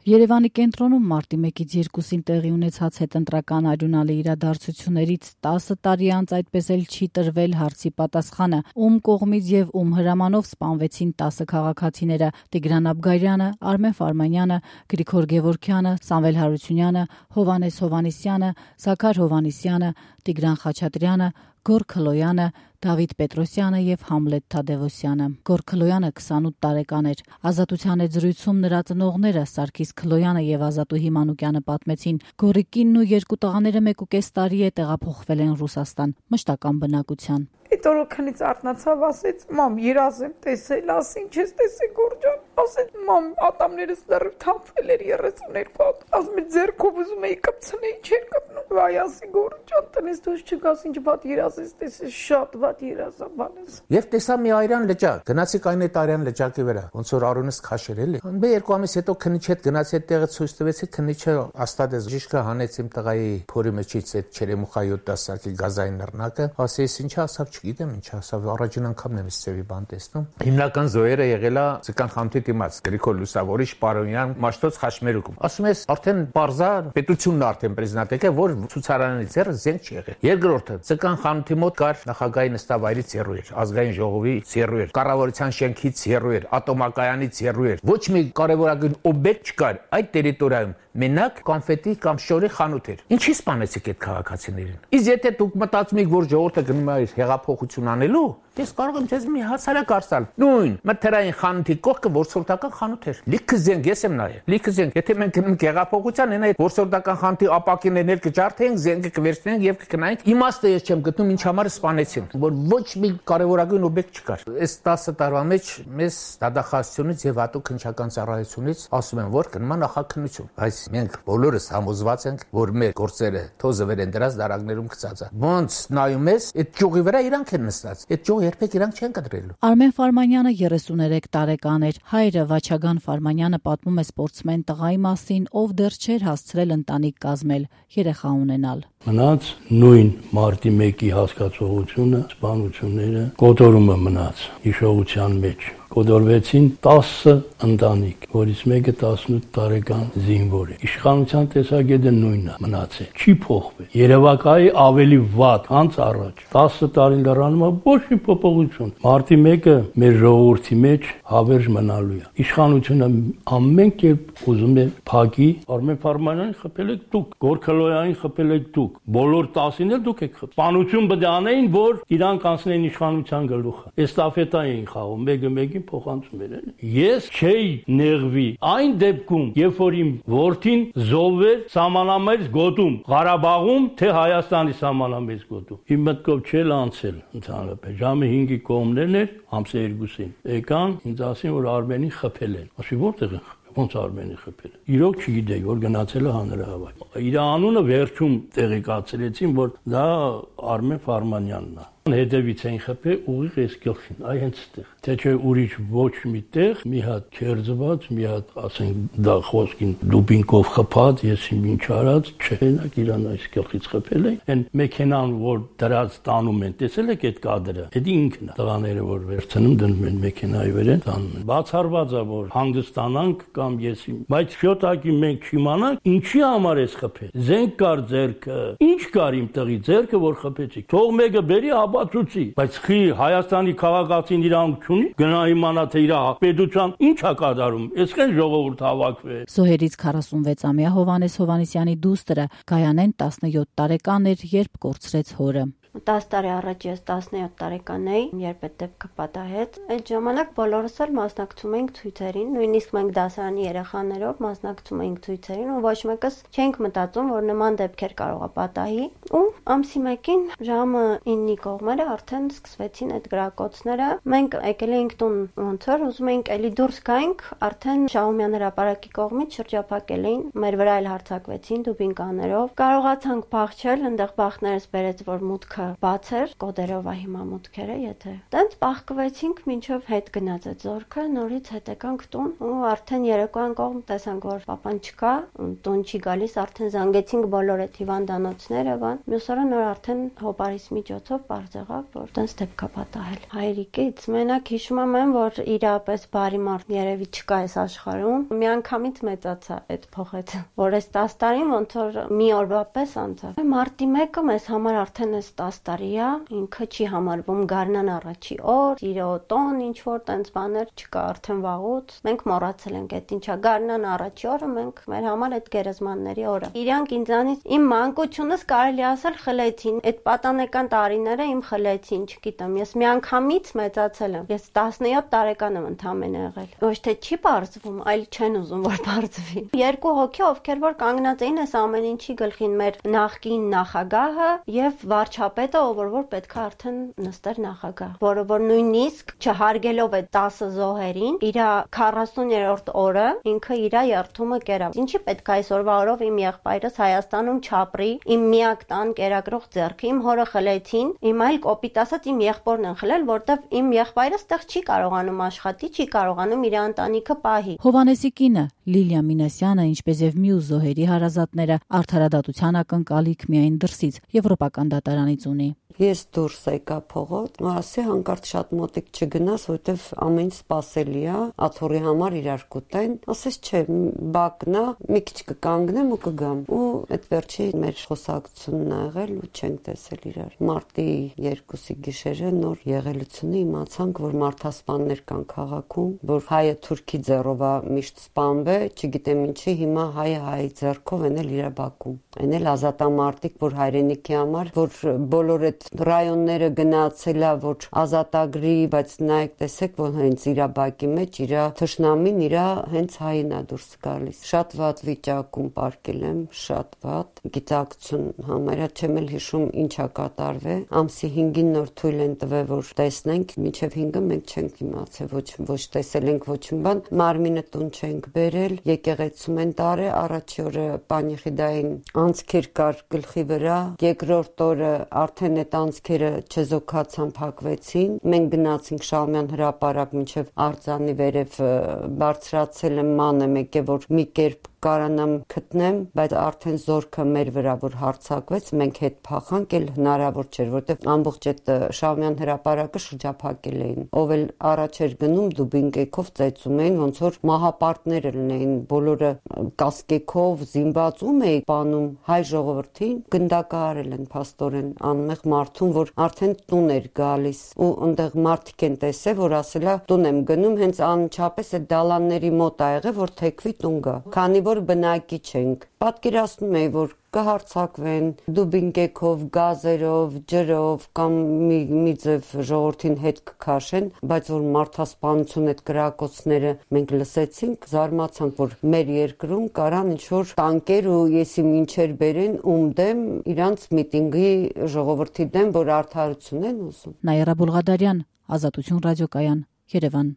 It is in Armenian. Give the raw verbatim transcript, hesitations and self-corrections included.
Երևանի կենտրոնում մարտի մեկից երկուսին տեղի ունեցած հետընտրական արյունալի իրադարձություններից տասը տարի անց այդպես էլ չի տրվել հարցի պատասխանը, ում կողմից եւ ում հրամանով սպանվեցին տասը քաղաքացիները՝ Տիգրան Աբգարյանը, Արմեն Ֆարմանյանը, Գրիգոր Գևորգյանը, Սամվել Հարությունյանը, Հովհաննես Հովհաննիսյանը, Զաքար Հովհաննիսյանը, Տիգրան Խաչատրյանը, Գոռ Քլոյանը, Դավիթ Պետրոսյանը եւ Համլետ Թադևոսյանը։ Գոռ Քլոյանը քսանութ տարեկան էր։ Ազատության զրույցում նրա ծնողները Սարգիս Քլոյանը եւ Ազատուհի Մանուկյանը պատմեցին, Գոռի կինն ու երկու տղաները մեկ ու կես տարի է տեղափոխվել են Ռուսաստան, մշտական բնակության։ Այդ օրը քնից արթնացավ, ասեց՝ «Մամ, երազ եմ տեսել», ասին, «Չես տեսել Գոռ ջան», ասեց՝ «Մամ, ատամներս դեռ թափվել էր երեսուն երկու հատ», ասում է ձեռքով ուզում էի կպցնել, չէր կպնում։ Վայ, ասի Գոռ ջան, տնես դուրս չգաս, ինչ վատ երազ ես տեսել, շատ վատ երազ ա բանես։ Եվ տեսա մի արյան լճակ, գնացի կային այդ արյան լճակի վրա, ոնց որ արունս քաշեր էլի։ Մի երկու ամիս հետո քնիչ հետ գնացի այդ տեղը ցույց տվեցի, քնիչը աստադես ժիշկը հանեց իմ տղայի փորի մեջից այդ չերեմուխա յոթ դասակի գազային նռնակը, ասես ինչ ասավ չգիտեմ ինչ ասավ, առաջին անգամն եմ իսցեվի բան տեսնում։ Հիմնական զոհերը եղել է Ցկան խամթի դիմաց Գրիգոր Լուսավորիչ Պարոնյան Մաշտոց Խաշմերուկում։ Ասում ես արդեն բարձա պետությունն արդեն պրեզիդենտ է, որ ցուցարանի ձեռը զենք չի եղել։ Երկրորդը Ցկան խամթի մոտ կար նախագահի նստավայրից հեռու էր, ազգային ժողովի հեռու էր, կառավարության շենքից հեռու էր, ատոմակայանից հեռու էր։ Ոչ մի կարևորագույն օբյեկտ չկար այդ տերիտորիայում։ Մենակ կոնֆետի կամ շորի խանութ էր։ Ինչի սպանեցիք այդ քաղաքացիներին։ Իսկ եթե դուք մտածում եք, որ ժողովուրդը գնում է հեղափոխություն անելու, ես կարող եմ ձեզ մի հասարակ արսալ։ Նույն մթերային խանութի կողքը որսորդական խանութ էր։ Լիքը զենք ես եմ նայել։ Լիքը զենք։ Եթե մենք գնում ենք հեղափոխության, այն այդ որսորդական խանութի ապակիներն կջարդենք, զենքը կվերցնենք եւ կգնայինք։ Իմաստը ես չեմ գտնում ինչ համար սպանեցին, որ ոչ մի կարևորագույն օբյեկտ չկար։ Այս տասը տարվա մեջ մեզ դատախազությունից եւ հատուկ քննչական ծառայությունից ասում են, որ գնում է նախաքննություն։ Բայց մենք բոլորս համոզված ենք, որ մեր գործերը թոզը վեր են դրած դարակներում գծած է։ Ոնց նայում ես, այդ ճյուղի վրա իրանք են նստած։ Այդ ճյուղը երբեք իրանք չեն կտրելու։ Արմեն Ֆարմանյանը երեսուներեք տարեկան էր։ Հայրը Վաչագան Ֆարմանյանը պատմում է սպորտսմեն տղայի մասին, ով դեռ չէր հասցրել ընտանիք կազմել, երեխա ունենալ։ Մնաց նույն մարտի մեկի հասկացողությունը, սպանությունները, կոտորումը մնաց հիշողության մեջ։ Կոտորվեցին տասը ընտանիք, որից մեկը տասնութ տարեկան զինվոր է։ Իշխանության տեսակետը նույնն է մնացել, չի փոխվել։ Երևակայի ավելի վատ, քան առաջ։ տասը տարի լրանում է ոչ մի փոփոխություն։ Մարտի մեկը մեր ժողովրդի մեջ հավերժ մնալու է։ Իշխանությունը ամեն կերպ ուզում է փակի, Արմեն Ֆարմանյանին խփել եք դուք, Գոռ Քլոյանին խփել եք դուք, բոլոր տասին էլ դուք եք խփել։ Սպանություն պետք է անեին, որ իրանք անցնեն իշխանության գլուխը։ Էստաֆետա էին խաղում, մեկը մեկին փոխանցում էր։ Ես չէի նեղվի այն դեպքում, երբ որ իմ որդին զոհվեր սահմանամերձ գոտում, Ղարաբաղում, թե Հայաստանի սահմանամերձ գոտում։ Իմ մտքով չէր անցել ընդհանրապես։ Ժամը հինգի կողմներն էր, ամսը երկուսին։ Եկան, ինձ ասին, որ Արմենին խփել են։ Ասի որտեղ են խփել։ Ոնց Արմենի խփել։ Իրոք չգիտեի, որ գնացել է հանրահավաք։ Իր անունը վերջում տեղեկացրեցին, որ դա Արմեն Ֆարմանյանն է։ Հետևից էին խփել ուղիղ այս գլխին, այ հենց այդտեղ։ Թե չէ ուրիշ ոչ մի տեղ, մի հատ քերձված, մի հատ, ասենք, դա խոսքին դուբինկով խփած, ես ինչ արած, չենակ իրան այս գլխից խփել են։ Այն մեքենան, որ դրած տանում են, տեսել եք այդ կադրը։ Դա ինքն է։ Տղաները, որ վերցնում դնում են մեքենայի վրա, տանում են։ Բացառված է, որ հանգստանանք կամ ես, բայց շոտակի մենք չիմանանք, ինչի համար էս խփել։ Զենք կար ձեռքը, ինչ կար իմ տղի ձեռքը, որ խփեցի։ Թող մեկը բերի բացուցի, բայց խի Հայաստանի քաղաքացին իրանք չունի, գնա իմանա թե իր պետության ինչ է կատարում, այսքան ժողովուրդ հավաքվել։ Զոհերից քառասունվեցամյա Հովհաննես Հովհաննիսյանի դուստրը Գայանեն տասնյոթ տարեկան էր, երբ կորցրեց հորը։ տասը տարի առաջ ես տասնյոթ տարեկան էի, երբ այդ դեպքը պատահեց։ Այդ ժամանակ բոլորս էլ մասնակցում էինք ցույցերին, նույնիսկ մենք դասարանի երեխաներով մասնակցում էինք ցույցերին ու ոչ մեկս չէինք մտածում, որ նման դեպքեր կարող է պատահի։ Ու ամսի մեկին ժամը իննի կողմերը արդեն սկսվեցին այդ գրակոծները։ Մենք եկել էինք տուն ոնց որ ուզում էինք էլի դուրս գայինք, արդեն Շահումյան հրապարակի կողմից շրջափակել էին, մեր վրա էլ հարձակվեցին դուբինկաներով։ Կարողացանք փախչել, այնտեղ բախներս բերեց, որ մուտքը ինքը բաց էր, կոդերով է հիմա մուտքերը, եթե։ Տենց բախկվեցինք մինչև հետ գնաց այդ զորքը, նորից հետ եկանք տուն ու արդեն երեկոյան կողմ տեսանք, որ պապան չկա, տուն չի գալիս, արդեն զանգեցինք բոլոր այդ հիվանդանոցները, բան։ Մյուս օրը նոր արդեն հոպարիս միջոցով բարձ եղավ, որ տենց դեպք է պատահել։ Հայրիկից մենակ հիշում եմ, որ իրապես բարի մարդ երևի չկա այս աշխարհում։ Միանգամից մեծացա այդ փոխեց, որ այս տասը տարին ոնց որ մի օրվա պես անցավ։ Մարտի մեկը մեզ համար արդեն այս տասը տարի է, ինքը չի համարվում գարնան առաջի օր, իրոտոն ինչ որ տենց բաներ չկա արդեն վաղուց։ Մենք մոռացել ենք այդ ինչա գարնան առաջի օրը, մենք մեր համար այդ գերեզմանների օրը։ Իրանք ինձանից իմ մանկությունս կարելի ասել խլեցին, այդ պատանեկան տարիները իմ խլեցին, չգիտեմ, ես միանգամից մեծացել եմ։ Ես տասնյոթ տարեկան եմ ընդամենը եղել։ Ոչ թե չի բարձվում, այլ չեն ուզում որ բարձվի։ Երկու հոգի, ովքեր որ կանգնած էին այս ամեն ինչի գլխին, մեր նախկին նախագահը եւ վարչապետը, ով որ պետք է արդեն նստեր նախագահ, որը որ նույնիսկ չհարգելով այդ տասը զոհերին, իր քառասուներորդ օրը ինքը իր երթումը կերավ։ Ինչի պետք է այսօրվա օրով իմ եղբայրս Հայաստանում չապրի, իմ միակ տան կերակրող ձեռքը, իմ հորը խլեցին, իմ այլ կոպիտ ասած իմ եղբորն են խլել, որտեվ իմ եղբայրս տեղ չի կարողանում աշխատի, չի կարողանում իր ընտանիքը պահի։ Հովանեսի կինը Լիլիա Մինասյանը, ինչպես եւ մյուս զոհերի հարազատները, արդարադատության ակնկալիք միայն դրսից եվրոպական դատարանից ունի։ Ես դուրս եկա փողոց, ու ասի հանկարծ շատ մոտիկ չգնաս, որովհետև ամեն ինչ սպասելի է, աթոռի համար իրար կուտեն։ Ասես չէ, բակնա, մի քիչ կկանգնեմ ու կգամ։ Ու այդ վերջի մեր խոսակցությունն ա եղել ու չենք տեսել իրար։ Մարտի երկուսի գիշերը նոր եղելությունը իմացանք, որ մարդասպաններ կան քաղաքում, որ հայը թուրքի ձեռով է միշտ սպանվե, չգիտեմ ինչի, հիմա հայը հայի ձեռքով են էլ իր բակում։ Այն էլ ազատամարտիկ, որ հայրենիքի համար, որ բոլոր այդ ռայոնները գնացել է, որ ազատագրի, բայց նայեք տեսեք, որ հենց իր բակի մեջ իր թշնամին իր հենց հային է դուրս գալիս։ Շատ վատ վիճակում պարկել եմ, շատ վատ։ Գիտակցություն համարյա չեմ էլ հիշում ինչա կատարվել։ Ամսի հինգին նոր թույլ են տվել, որ տեսնենք, մինչև հինգը մենք չենք իմացել, ոչ ոչ տեսել ենք ոչ մի բան։ Մարմինը տուն չենք բերել, եկեղեցում են տարել, առաջի օրը պանիխիդային անցքեր կար գլխի վրա, երկրորդ օրը արդեն այդ անցքերը չեզոքացան, փակվեցին։ Մենք գնացինք Շահումյան հրապարակ մինչև արձանի վերև բարձրացել եմ ման եմ եկե, որ մի կերպ կարանամ գտնեմ, բայց արդեն զորքը մեր վրա որ հարձակվեց, մենք հետ փախանք, էլ հնարավոր չէր, որտեղ ամբողջ այդ Շահումյան հրապարակը շրջափակել էին։ Ով էլ առաջ էր գնում, դուբինկեքով ծեծում էին, ոնց որ մահապարտներ լինեին, բոլորը կասկեքով զինված ում էի պանում հայ ժողովրդին, գնդակահարել են փաստորեն անմեղ մարդուն, որ արդեն տուն էր գալիս ու այնտեղ մարդիկ են տեսել, որ ասելա տուն եմ գնում, հենց անմիջապես այդ դալանների մոտ ա եղել, որ թեքվի տուն գա։ Քանի որ բնակի չենք, պատկերացնում էի, որ կհարցակվեն դուբինկեքով, գազերով, ջրով կամ մի մի ձև ժողովրդին հետ կքաշեն, բայց որ մարդասպանություն այդ կրակոցները մենք լսեցինք, զարմացանք, որ մեր երկրում կարան ինչ-որ տանկեր ու եսի մինչեր բերեն ում դեմ, իրանց միտինգի ժողովրդի դեմ, որ արդարություն են ուզում։ Նաիրա Բուլղադարյան, Ազատություն ռադիոկայան, Երևան։